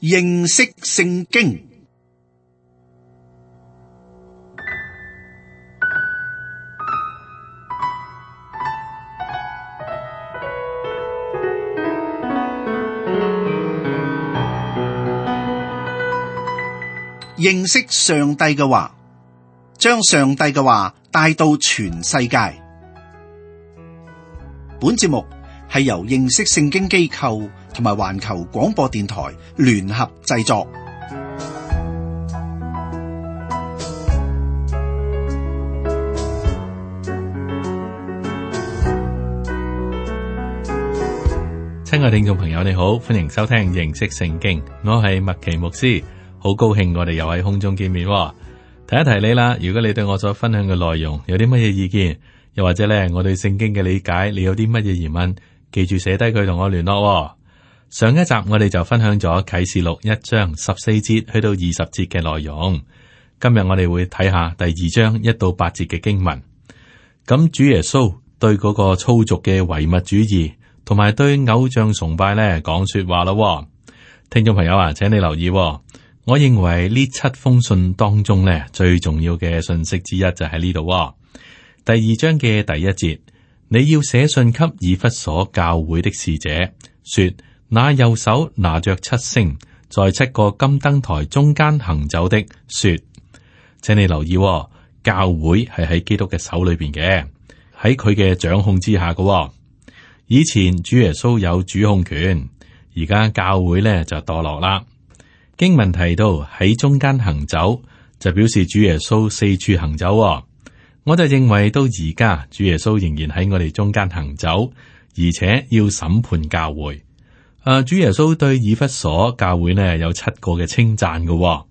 認識聖經。認識上帝嘅話，將上帝嘅話帶到全世界。本節目係由認識聖經機構同埋環球廣播電台聯合製作。親愛聽眾朋友，你好，歡迎收聽認識聖經，我係麥奇牧師。好高興我哋又喺空中見面。提一提你啦，如果你對我所分享嘅內容有啲乜嘢意見，又或者咧我對聖經嘅理解，你有啲乜嘢疑問，記住寫低佢同我聯絡。上一集我哋就分享咗啟示錄1章14節去到20節嘅內容，今日我哋會睇下第2章1到8節嘅經文。咁主耶穌對嗰個粗俗嘅唯物主義同埋對偶像崇拜咧講說話咯。聽眾朋友啊，請你留意。我認為呢7封信當中咧，最重要嘅信息之一就喺呢度。第2章嘅第1節，你要寫信給以弗所教會的使者，說：那右手拿着7星，在7個金燈台中間行走的，說，請你留意，教會係喺基督嘅手裏邊嘅，喺佢嘅掌控之下嘅。以前主耶穌有主控權，而家教會咧就墮落啦。經文提到喺中間行走，就表示主耶穌四處行走。我就認為到而家主耶穌仍然喺我哋中間行走，而且要審判教會。主耶穌對以弗所教會呢有7個嘅稱讚嘅。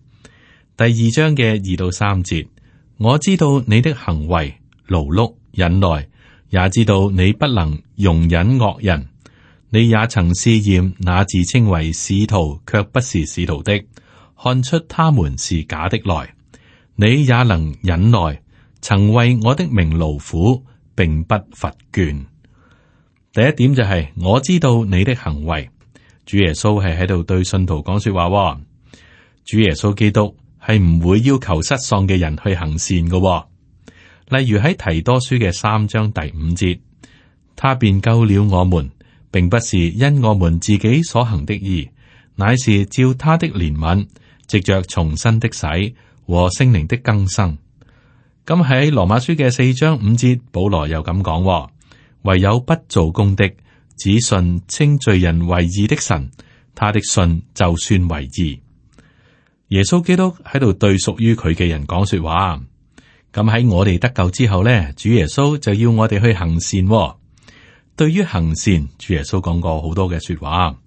第2章嘅2到3節，我知道你的行為勞碌忍耐，也知道你不能容忍惡人。你也曾試驗那自稱為使徒卻不是使徒的，看出他們是假的來。你也能忍耐，曾為我的名勞苦，並不乏倦。第一點就係我知道你的行為。主耶穌係喺度對信徒講說話。主耶穌基督係唔會要求失喪嘅人去行善嘅。例如喺提多書嘅3章第5節，他便救了我們，並不是因我們自己所行的義，乃是照他的憐憫，藉着重生的洗和聖靈的更新。咁喺羅馬書嘅4章5節，保羅又咁講：唯有不做工的，只信稱罪人為義的神，他的信就算為義。耶穌基督喺度對屬於佢嘅人講說話。咁喺我哋得救之後呢，主耶穌就要我哋去行善。對於行善，主耶穌講過好多嘅說話。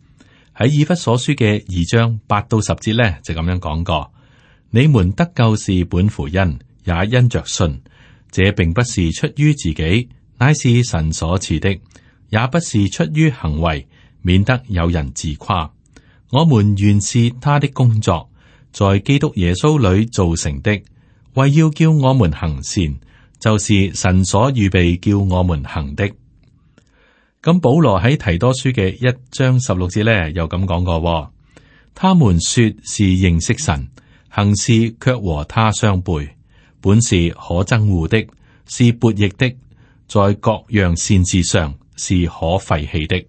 喺以弗所書嘅2章8到10節呢，就咁樣講過：你們得救是本乎恩，也因着信。這並不是出於自己，乃是神所賜的；也不是出於行為，免得有人自誇。我們原是他的工作，在基督耶穌裏造成的，為要叫我們行善，就是神所預備叫我們行的。咁保羅喺提多書嘅1章16節咧，又咁講過：他們說是認識神，行事卻和他相背，本是可憎惡的，是悖逆的，在各樣善事上是可廢棄的。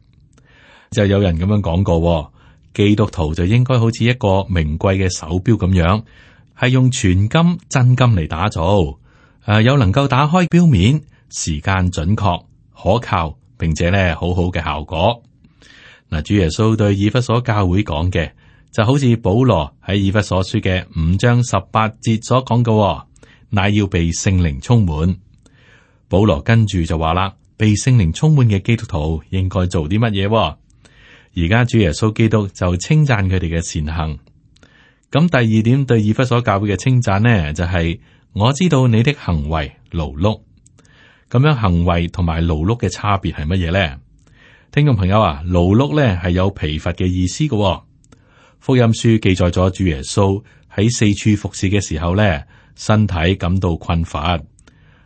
就有人咁樣講過，基督徒就應該好似一個名貴嘅手錶咁樣，係用全金真金嚟打造，有能夠打開錶面，時間準確可靠，並且咧好好嘅效果。嗱，主耶穌對以弗所教會講嘅，就好似保羅喺以弗所書嘅5章18節所講嘅，乃要被聖靈充滿。保羅跟住就話啦，被聖靈充滿嘅基督徒應該做啲乜嘢？而家主耶穌基督就稱讚佢哋嘅善行。咁第2點對以弗所教會嘅稱讚呢，就係我知道你的行為勞碌。咁樣行為同埋勞碌嘅差別係乜嘢咧？聽眾朋友啊，勞碌咧係有疲乏嘅意思嘅。福音書記載咗主耶穌喺四處服侍嘅時候咧，身體感到困乏。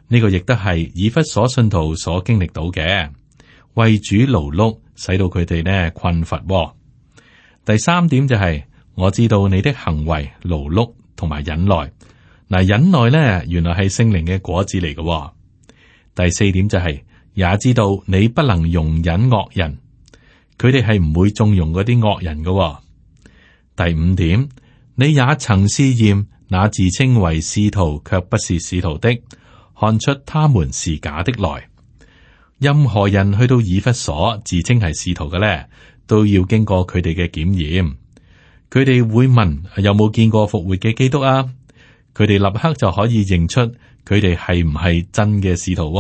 呢個亦都係以弗所信徒所經歷到嘅，為主勞碌，使到佢哋呢困乏。第3點就係我知道你的行為、勞碌同埋忍耐。嗱，忍耐咧，原來係聖靈嘅果子嚟嘅。第四點就係，也知道你不能容忍惡人，佢哋係唔會縱容嗰啲惡人嘅。第五點，你也曾試驗那自稱為使徒卻不是使徒的，看出他們是假的來。任何人去到以弗所自稱係使徒嘅咧，都要經過佢哋嘅檢驗。佢哋會問有冇見過復活嘅基督啊？佢哋立刻就可以認出佢哋係唔係真嘅使徒。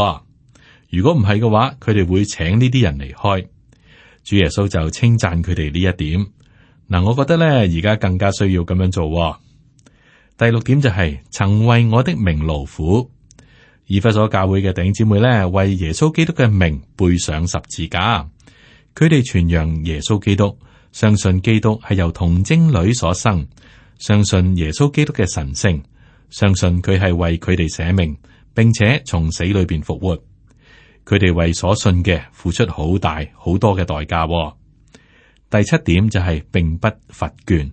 如果唔係嘅話，佢哋會請呢啲人離開。主耶穌就稱讚佢哋呢一點。嗱，我覺得咧，而家更加需要咁樣做。第六點就係曾為我的名勞苦。以弗所教會嘅弟兄姊妹咧，為耶穌基督嘅名背上十字架。佢哋傳揚耶穌基督，相信基督係由童貞女所生，相信耶穌基督嘅神聖，相信佢係為佢哋捨命，並且從死裏邊復活。佢哋為所信嘅付出好大好多嘅代價。第七點就係並不乏倦，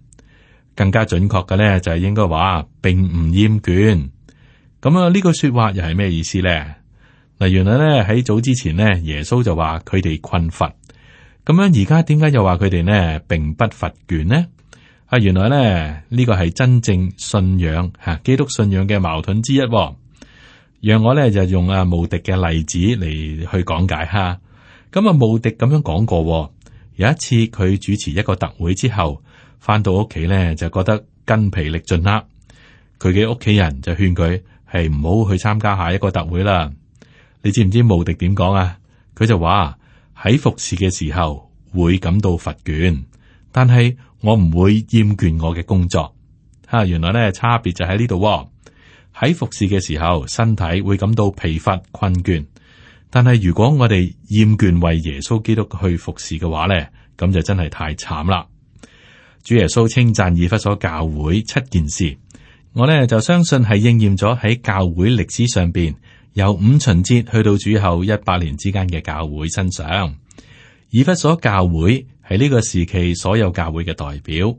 更加準確嘅咧就係應該話並唔厭倦。咁啊，呢句說話又係咩意思咧？嗱，原來咧喺早之前呢，耶穌就話佢哋困乏。咁樣而家點解又話佢哋呢並不乏倦呢？啊，原來咧呢個係真正信仰吓基督信仰嘅矛盾之一。讓我咧就用慕迪嘅例子嚟去講解下。咁啊，慕迪咁樣講過，有一次佢主持一個特會之後，翻到屋企咧就覺得筋疲力盡啦。佢嘅屋企人就勸佢係唔好去參加下一個特會啦。你知唔知慕迪點講啊？佢就話喺服侍嘅時候會感到乏倦，但係我唔會厭倦我嘅工作。吓，原來咧差別就喺呢度。喺服侍嘅時候，身體會感到疲乏困倦，但係如果我哋厭倦為耶穌基督去服侍嘅話咧，咁就真係太慘啦。主耶穌稱讚以弗所教會7件事，我咧就相信係應驗咗喺教會歷史上邊，由五旬節去到主後100年之間嘅教會身上。以弗所教會係呢個時期所有教會嘅代表。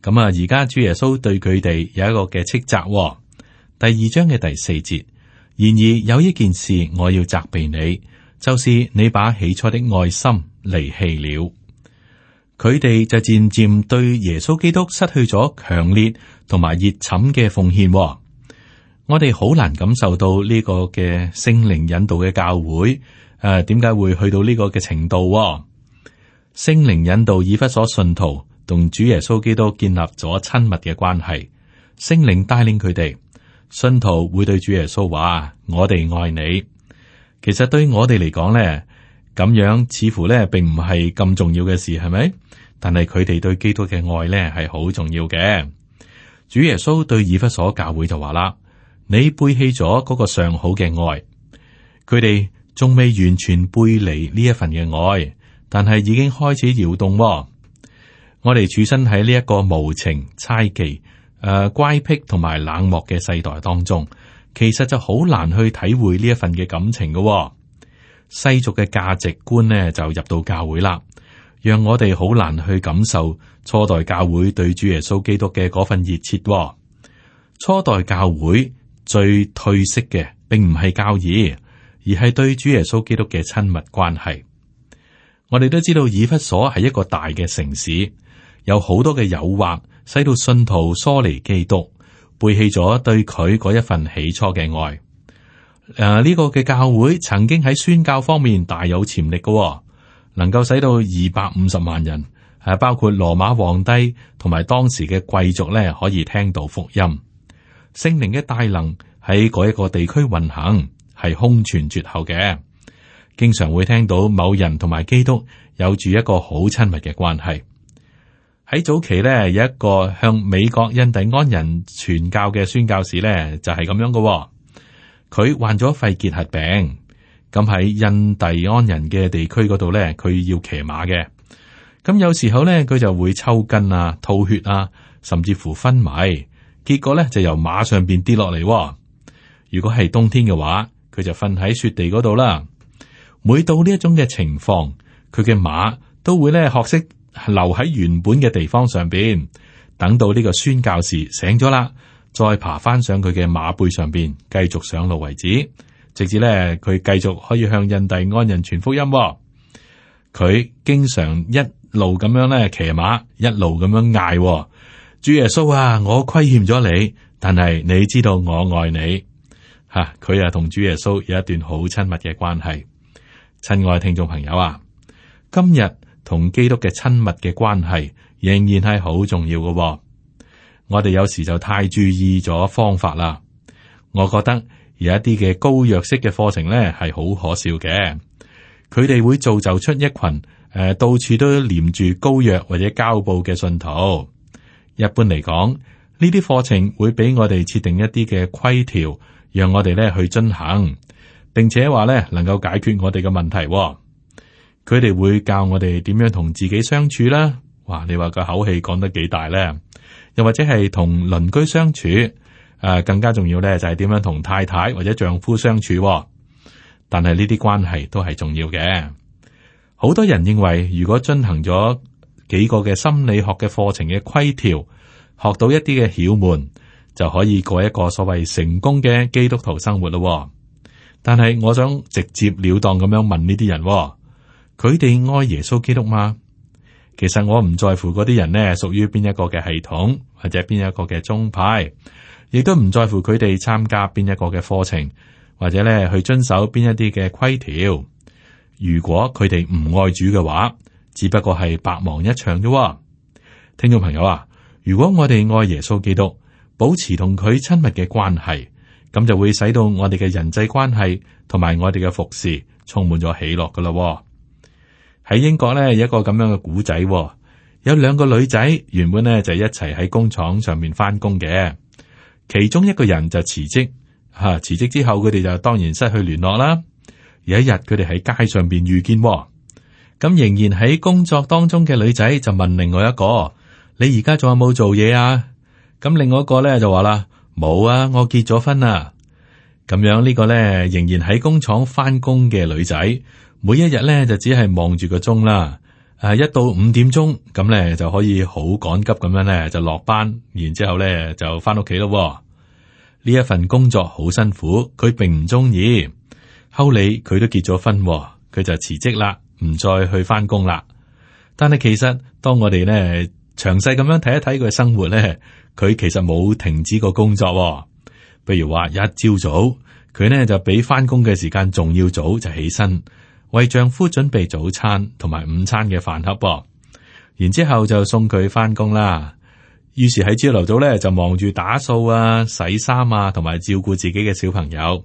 咁啊，而家主耶穌對佢哋有一個嘅斥責。第2章嘅第4節，然而有一件事我要責備你，就是你把起初的愛心離棄了。佢哋就漸漸對耶穌基督失去咗強烈同埋熱忱嘅奉獻。我哋好難感受到呢個嘅聖靈引導嘅教會，點解會去到呢個嘅程度？聖靈引導以弗所信徒同主耶穌基督建立咗親密嘅關係，聖靈帶領佢哋。信徒會對主耶穌話：我哋愛你。其實對我哋嚟講咧，咁樣似乎咧並唔係咁重要嘅事，係咪？但係佢哋對基督嘅愛咧係好重要嘅。主耶穌對以弗所教會就話啦：你背棄咗嗰個上好嘅愛。佢哋仲未完全背離呢一份嘅愛，但係已經開始搖動。我哋處身喺呢一個無情猜忌、乖僻同埋冷漠嘅世代當中，其實就好難去體會呢一份嘅感情嘅。世俗嘅價值觀呢就入到教會啦，讓我哋好難去感受初代教會對主耶穌基督嘅嗰份熱切。初代教會最褪色嘅，並唔係教義，而係對主耶穌基督嘅親密關係。我哋都知道以弗所係一個大嘅城市，有好多嘅誘惑，使到信徒疏離基督，背棄咗對佢嗰一份起初嘅愛。呢個嘅教會曾經喺宣教方面大有潛力嘅，能夠使到250萬人，包括羅馬皇帝同埋當時嘅貴族咧，可以聽到福音。聖靈嘅大能喺嗰一個地區運行，係空前絕後嘅。經常會聽到某人同埋基督有住一個好親密嘅關係。喺早期咧，有一個向美國印第安人傳教嘅宣教士咧，就係咁樣嘅。佢患咗肺結核病，咁喺印第安人嘅地區嗰度咧，佢要騎馬嘅。咁有時候咧，佢就會抽筋啊、吐血啊，甚至乎昏迷。結果咧就由馬上邊跌落嚟。如果係冬天嘅話，佢就瞓喺雪地嗰度啦。每到呢一種嘅情況，佢嘅馬都會咧學識留喺原本嘅地方上邊，等到呢個宣教士醒咗啦，再爬翻上佢嘅馬背上邊，繼續上路為止，直至咧佢繼續可以向印第安人傳福音。佢經常一路咁樣咧騎馬，一路咁樣嗌：主耶穌啊，我虧欠咗你，但係你知道我愛你。佢同主耶穌有一段好親密嘅關係。親愛聽眾朋友啊，今日同基督嘅親密嘅關係仍然係好重要嘅。我哋有時就太注意咗方法啦。我覺得有一啲嘅膏藥式嘅課程咧係好可笑嘅，佢哋會造就出一群到處都黏住膏藥或者膠布嘅信徒。一般嚟講，呢啲課程會俾我哋設定一啲嘅規條，讓我哋咧去遵行，並且話咧能夠解決我哋嘅問題。佢哋會教我哋點樣同自己相處啦。哇，你話個口氣講得幾大咧？又或者係同鄰居相處，更加重要咧就係點樣同太太或者丈夫相處。但係呢啲關係都係重要嘅。好多人認為，如果進行咗幾個嘅心理學嘅課程嘅規條，學到一啲嘅竅門，就可以過一個所謂成功嘅基督徒生活咯。但係我想直接了當咁樣問呢啲人，佢哋愛耶穌基督嗎？其實我唔在乎嗰啲人呢屬於邊一個嘅系統或者邊一個嘅宗派，亦都唔在乎佢哋參加邊一個嘅課程或者咧去遵守邊一啲嘅規條。如果佢哋唔愛主嘅話，只不過係白忙一場啫。聽眾朋友啊，如果我哋愛耶穌基督，保持同佢親密嘅關係，咁就會使到我哋嘅人際關係同埋我哋嘅服侍充滿咗喜樂噶啦。喺英國咧有一個咁樣嘅古仔，有兩個女仔原本咧就一齊喺工廠上面翻工嘅，其中一個人就辭職，辭職之後佢哋就當然失去聯絡啦。有一日佢哋喺街上邊遇見，咁仍然喺工作當中嘅女仔就問另外一個：你而家仲有冇做嘢啊？咁另外一個咧就話啦：冇啊，我結咗婚啦。咁樣呢個咧仍然喺工廠翻工嘅女仔，每一日咧就只係望住個鐘啦。一到5點鐘咁咧就可以好趕急咁樣咧就落班，然之後咧就翻屋企咯。呢一份工作好辛苦，佢並唔中意。後嚟佢都結咗婚，佢就辭職啦，唔再去翻工啦。但係其實當我哋咧詳細咁樣睇一睇佢嘅生活咧，佢其實冇停止過工作。譬如話一朝早，佢呢就比翻工嘅時間仲要早就起身，為丈夫準備早餐同埋午餐嘅飯盒，然之後就送佢翻工啦。於是喺朝頭早咧就忙住打掃啊、洗衫啊，同埋照顧自己嘅小朋友。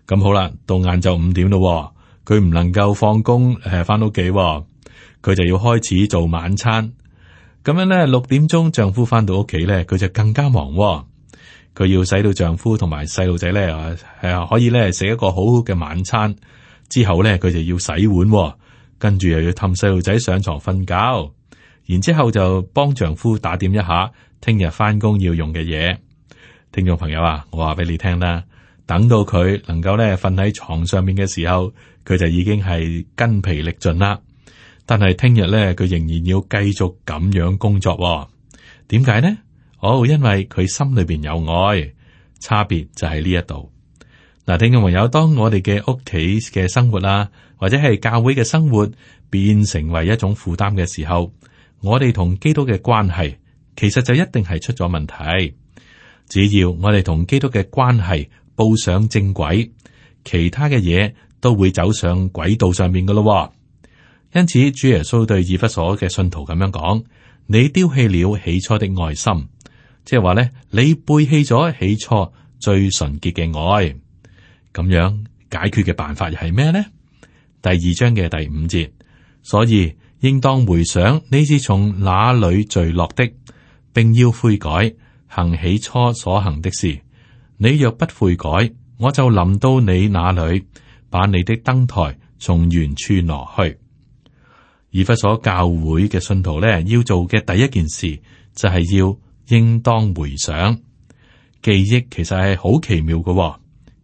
咁好啦，到晏晝5點咯，佢唔能夠放工翻屋企，佢就要開始做晚餐。咁樣咧6點鐘丈夫翻到屋企咧，佢就更加忙。佢要使到丈夫同埋細路仔咧可以咧食一個好好嘅晚餐。之後咧佢就要洗碗，跟住又要氹細路仔上床瞓覺，然之後就幫丈夫打點一下聽日翻工要用嘅嘢。聽眾朋友啊，我話俾你聽啦，等到佢能夠咧瞓喺床上面嘅時候，佢就已經係筋疲力盡啦。但係聽日咧佢仍然要繼續咁樣工作。點解呢？因為佢心裏邊有愛，差別就喺呢一度。嗱，聽眾朋友，當我哋嘅屋企嘅生活啊，或者係教會嘅生活變成為一種負擔嘅時候，我哋同基督嘅關係其實就一定係出咗問題。只要我哋同基督嘅關係步上正軌，其他嘅嘢都會走上軌道上面噶咯。因此，主耶穌對以弗所嘅信徒咁樣講：你丟棄了起初的愛心，即係話咧，你背棄咗起初最純潔嘅愛。咁樣解決嘅辦法又係咩呢？第2章嘅第5節，所以應當回想你是從哪裏墜落的，並要悔改，行起初所行的事。你若不悔改，我就臨到你那裏，把你的燈台從原處挪去。以弗所教會嘅信徒咧，要做嘅第一件事就係要應當回想。記憶其實係好奇妙嘅。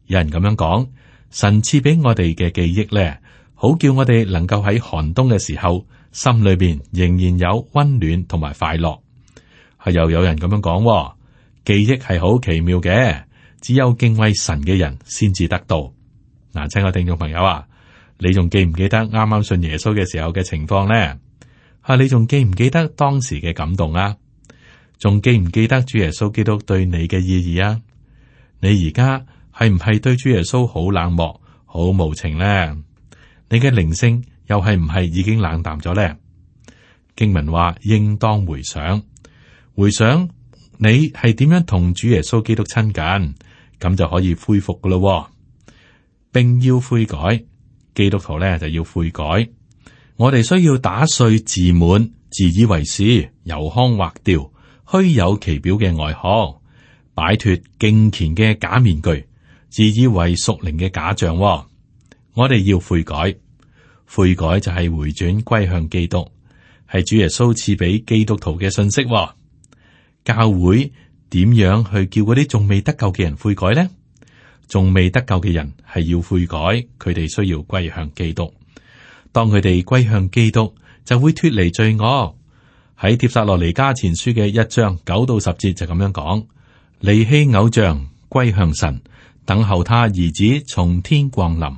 有人咁樣講，神賜俾我哋嘅記憶咧，好叫我哋能夠喺寒冬嘅時候，心裏邊仍然有溫暖同埋快樂。又有人咁樣講，記憶係好奇妙嘅，只有敬畏神嘅人先至得到。嗱，親愛聽眾朋友啊，你仲記唔記得啱啱信耶穌嘅時候嘅情況呢？你仲記唔記得當時嘅感動啊？仲記唔記得主耶穌基督對你嘅意義啊？你而家係唔係對主耶穌好冷漠、好無情呢？你嘅靈性又係唔係已經冷淡咗呢？經文話應當回想，回想你係點樣同主耶穌基督親近，咁就可以恢復噶咯，並要悔改。基督徒咧就要悔改。我哋需要打碎自滿、自以為是、油腔滑調、虛有其表嘅外殼，擺脫敬虔嘅假面具，自以為屬靈嘅假象。我哋要悔改，悔改就係回轉歸向基督，係主耶穌賜俾基督徒嘅信息。教會點樣去叫嗰啲仲未得救嘅人悔改呢？仲未得救嘅人係要悔改，佢哋需要歸向基督。當佢哋歸向基督，就會脫離罪惡。喺帖撒羅尼迦前書嘅1章9到10節就咁樣講：離棄偶像，歸向神，等候他兒子從天降臨。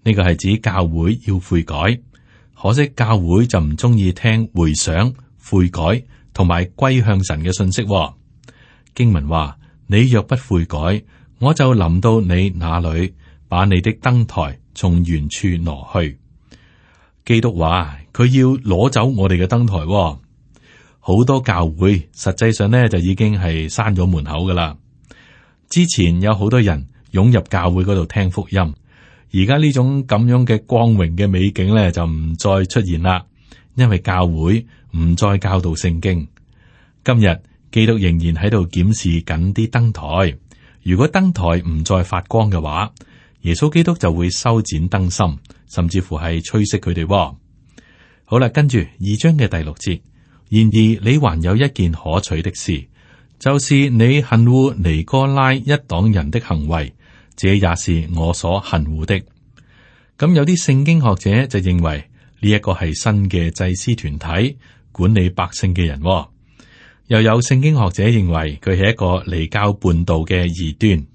呢個係指教會要悔改，可惜教會就唔中意聽回想、悔改同埋歸向神嘅信息。經文話：你若不悔改，我就臨到你那裏，把你的燈台從原處挪去。基督話佢要攞走我哋嘅燈台。好多教會實際上呢就已經係閂咗門口噶啦。之前有好多人湧入教會嗰度聽福音，而家呢種咁樣嘅光榮嘅美景呢就唔再出現啦，因為教會唔再教導聖經。今日基督仍然喺度檢視緊啲燈台。如果燈台唔再發光嘅話，耶穌基督就會修剪燈芯，甚至乎係吹熄佢哋。好啦，跟住2章嘅第6節，然而你還有一件可取的事，就是你恨惡尼哥拉一黨人的行為，這也是我所恨惡的。咁有啲聖經學者就認為呢一個係新嘅祭司團體管理百姓嘅人。又有聖經學者認為佢係一個離教叛道嘅異端。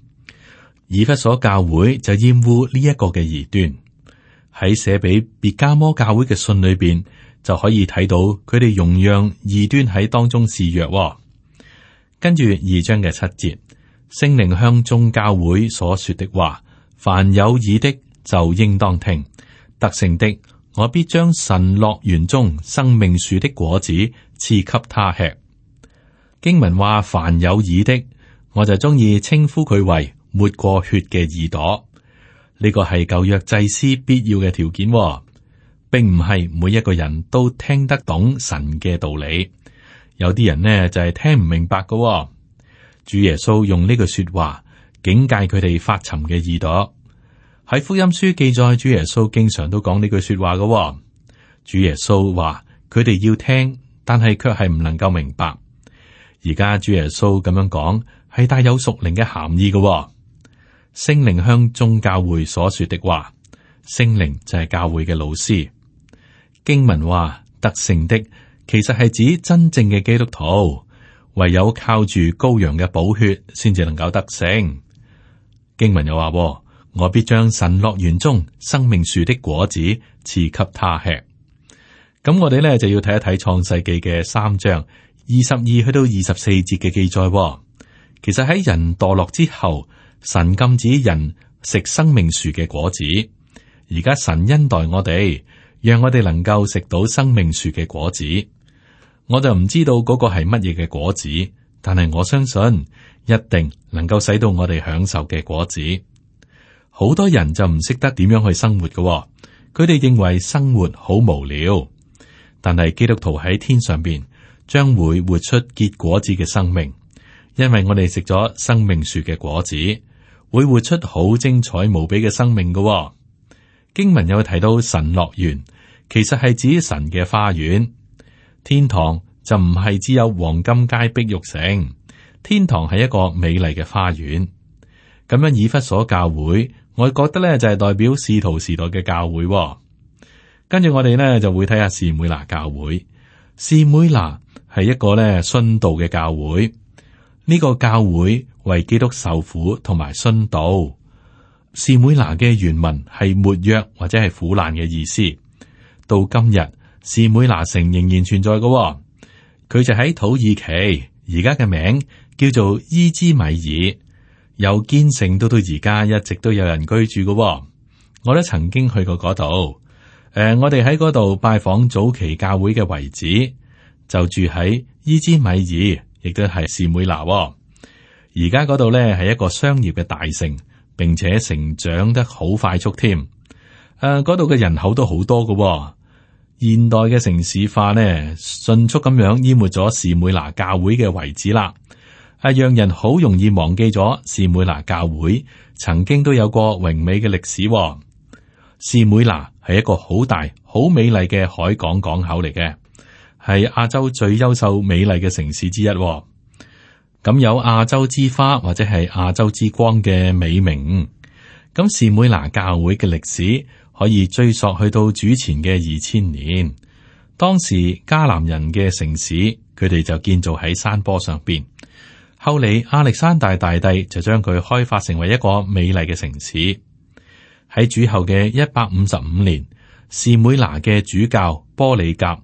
以弗所教會就厭惡呢一個嘅異端。喺寫俾別迦摩教會嘅信裏邊就可以睇到佢哋容讓異端喺當中肆虐。跟住2章嘅7節，聖靈向眾教會所說的話，凡有耳的就應當聽。得勝的，我必將神樂園中生命樹的果子賜給他吃。經文話凡有耳的，我就中意稱呼佢為抹過血嘅耳朵。呢個係舊約祭司必要嘅條件，並唔係每一個人都聽得懂神嘅道理。有啲人呢就係聽唔明白㗎。主耶穌用呢句說話警戒佢哋發沉嘅耳朵。喺福音書記載，主耶穌經常都講呢句說話㗎。主耶穌話佢哋要聽，但係卻係唔能夠明白。而家主耶穌咁樣講，係帶有屬靈嘅含義嘅。聖靈向眾教會所說的話，聖靈就係教會嘅老師。經文話得勝的，其實係指真正嘅基督徒，唯有靠住羔羊嘅寶血，先至能夠得勝。經文又話，我必將神樂園中生命樹的果子賜給他吃。咁我哋咧就要睇一睇創世記嘅3章22去到24節嘅記載。其實喺人墮落之後，神禁止人食生命樹嘅果子。而家神恩待我哋，讓我哋能夠食到生命樹嘅果子。我就唔知道嗰個係乜嘢嘅果子，但係我相信一定能夠使到我哋享受嘅果子。好多人就唔識得點樣去生活嘅，佢哋認為生活好無聊。但係基督徒喺天上邊將會活出結果子嘅生命，因為我哋食咗生命樹嘅果子，會活出好精彩無比嘅生命嘅。經文有提到神樂園，其實係指神嘅花園。天堂就唔係只有黃金街碧玉城，天堂係一個美麗嘅花園。咁樣以弗所教會，我覺得咧就係代表使徒時代嘅教會。跟住我哋呢就會睇下士每拿教會。士每拿係一個咧殉道嘅教會。呢個教會為基督受苦同埋殉道。士每拿嘅原文係沒藥或者係苦難嘅意思。到今日，士每拿城仍然存在嘅。佢就喺土耳其，而家嘅名叫做伊茲米爾。由建成到而家，一直都有人居住嘅。我都曾經去過嗰度。我哋喺嗰度拜訪早期教會嘅遺址，就住喺伊茲米爾，亦都係士每拿。而家嗰度咧係一個商業嘅大城，並且成長得好快速添。嗰度嘅人口都好多嘅。現代嘅城市化呢，迅速咁樣淹沒咗士每拿教會嘅遺址啦。讓人好容易忘記咗士每拿教會曾經都有過榮美嘅歷史。士每拿係一個好大、好美麗嘅海港港口嚟嘅，係亞洲最優秀美麗嘅城市之一。咁有亞洲之花或者係亞洲之光嘅美名。咁士每拿教會嘅歷史可以追溯去到主前嘅2000年。當時迦南人嘅城市，佢哋就建造喺山坡上邊。後嚟亞歷山大大帝就將佢開發成為一個美麗嘅城市。喺主後嘅155年，士每拿嘅主教波里甲，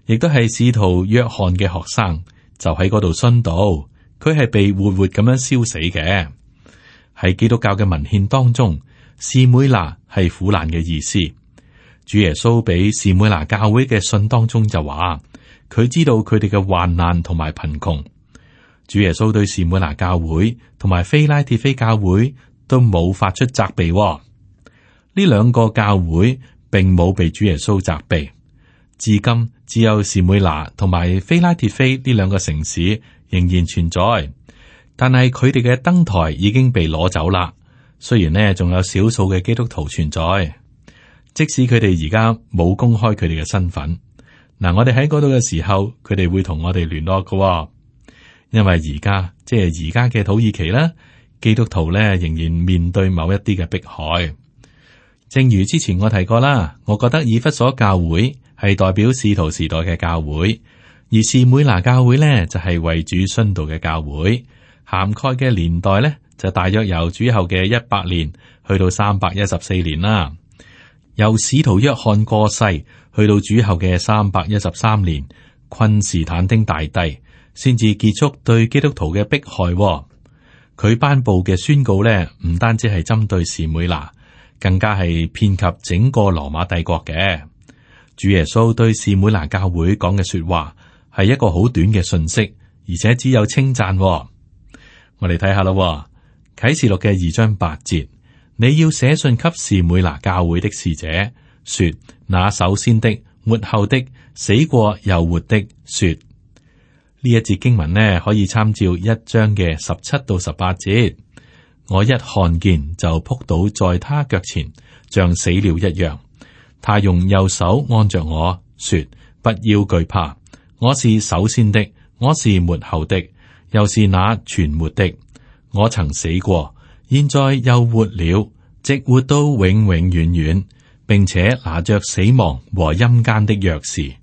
亦都係使徒約翰嘅學生，就喺嗰度殉道。佢係被活活咁樣燒死嘅。喺基督教嘅文獻當中，士每拿係苦難嘅意思。主耶穌俾士每拿教會嘅信當中就話，佢知道佢哋嘅患難同埋貧窮。主耶穌對士每拿教會同埋非拉鐵非教會都冇發出責備。呢兩個教會並冇被主耶穌責備。至今只有士每拿同埋非拉鐵非呢兩個城市仍然存在，但係佢哋嘅燈台已經被攞走啦。雖然呢仲有少數嘅基督徒存在，即使佢哋而家冇公開佢哋嘅身份。嗱，我哋喺嗰度嘅時候，佢哋會同我哋聯絡嘅。因為而家即係而家嘅土耳其啦，基督徒咧仍然面對某一啲嘅迫害。正如之前我提過啦，我覺得以弗所教會係代表使徒時代嘅教會，而士每拿教會咧就係為主殉道嘅教會，涵蓋嘅年代咧就大約由主後嘅100年去到314年啦。由使徒約翰過世去到主後嘅313年，昆士坦丁大帝先至結束對基督徒嘅迫害。佢頒布嘅宣告咧，唔單止係針對士每拿，更加係遍及整個羅馬帝國嘅。主耶穌對士每拿教會講嘅說話係一個好短嘅信息，而且只有稱讚。我哋睇下啦，啟示錄嘅2章8節，你要寫信給士每拿教會的使者，說：那首先的、末後的、死過又活的，說。呢一節經文呢，可以參照1章嘅17到18節。我一看見就撲倒在他腳前，像死了一樣。他用右手按着我說：不要懼怕，我是首先的，我是末後的，又是那存活的。我曾死過，現在又活了，直活到永永遠遠，並且拿着死亡和陰間的鑰匙。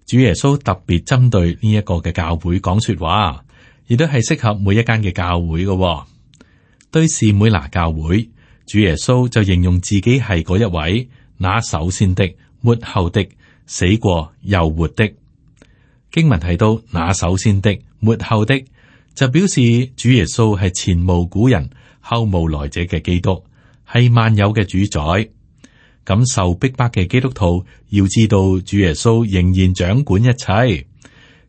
主耶穌特別針對呢一個嘅教會講說話，亦都係適合每一間嘅教會嘅。對士每拿教會，主耶穌就形容自己係嗰一位，那首先的、末後的、死過又活的。經文提到那首先的、末後的，就表示主耶穌係前無古人、後無來者嘅基督，係萬有嘅主宰。咁受逼迫嘅基督徒要知道，主耶穌仍然掌管一切。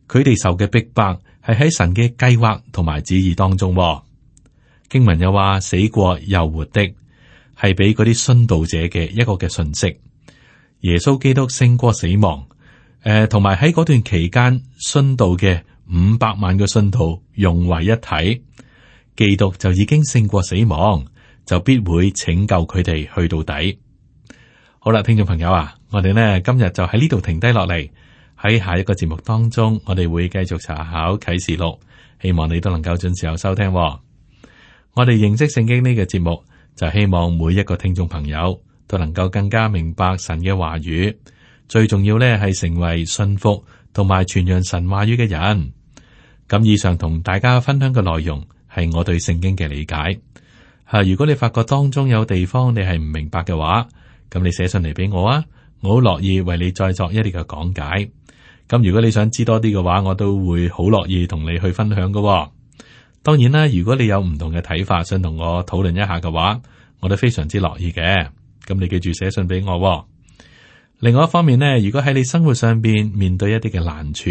佢哋受嘅逼迫係喺神嘅計劃同埋旨意當中。經文又話死過又活的，係俾嗰啲殉道者嘅一個嘅信息。耶穌基督勝過死亡，同埋喺嗰段期間殉道嘅500萬個信徒融為一體，基督就已經勝過死亡，就必會拯救佢哋去到底。好啦，聽眾朋友啊，我哋呢今日就喺呢度停低落嚟，喺下一個節目當中，我哋會繼續查考啟示錄，希望你都能夠準時收聽。我哋認識聖經呢個節目，就希望每一個聽眾朋友都能夠更加明白神嘅話語，最重要呢係成為信服同埋傳揚神話語嘅人。咁以上同大家分享嘅內容係我對聖經嘅理解。如果你發覺當中有地方你係唔明白嘅話，咁你寫信嚟俾我啊，我好樂意為你再作一啲嘅講解。咁如果你想知多啲嘅話，我都會好樂意同你去分享嘅。當然啦，如果你有唔同嘅睇法，想同我討論一下嘅話，我都非常之樂意嘅。咁你記住寫信俾我。另外一方面呢，如果喺你生活上邊面對一啲嘅難處，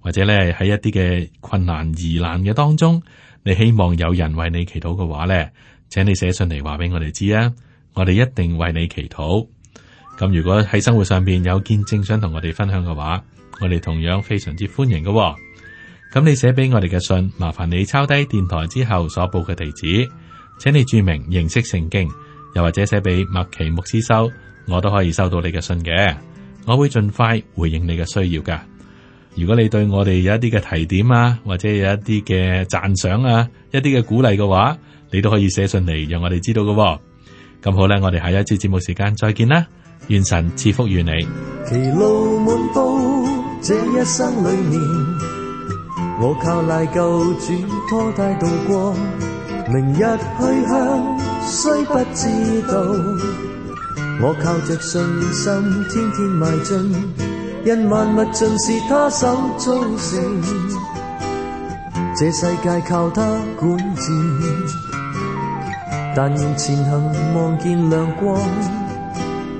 或者咧喺一啲嘅困難疑難嘅當中，你希望有人為你祈禱嘅話咧，請你寫信嚟話俾我哋知啊，我哋一定為你祈禱。咁如果喺生活上邊有見證想同我哋分享嘅話，我哋同樣非常之歡迎嘅。咁你寫俾我哋嘅信，麻煩你抄低電台之後所報嘅地址，請你注明認識聖經，又或者寫俾麥奇牧師收，我都可以收到你嘅信嘅。我會盡快回應你嘅需要噶。如果你對我哋有一啲嘅提點啊，或者有一啲嘅讚賞啊，一啲嘅鼓勵嘅話，你都可以寫信嚟讓我哋知道嘅。咁好啦，我哋下一次節目時間再見啦，願神賜福於你。其路滿布，這一生裏面，我靠賴救主拖帶度過，明日去向雖不知道，我靠着信心天天邁進，因萬物盡是他手造成，這世界靠他管治，但願前行望見亮光，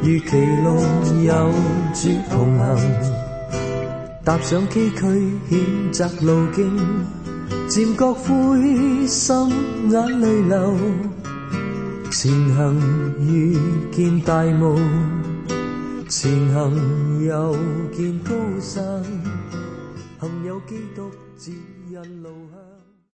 如其路有主同行，踏上崎嶇險窄路徑，漸覺灰心眼淚流，前行遇見大霧，前行又見高山，幸有基督指引路向。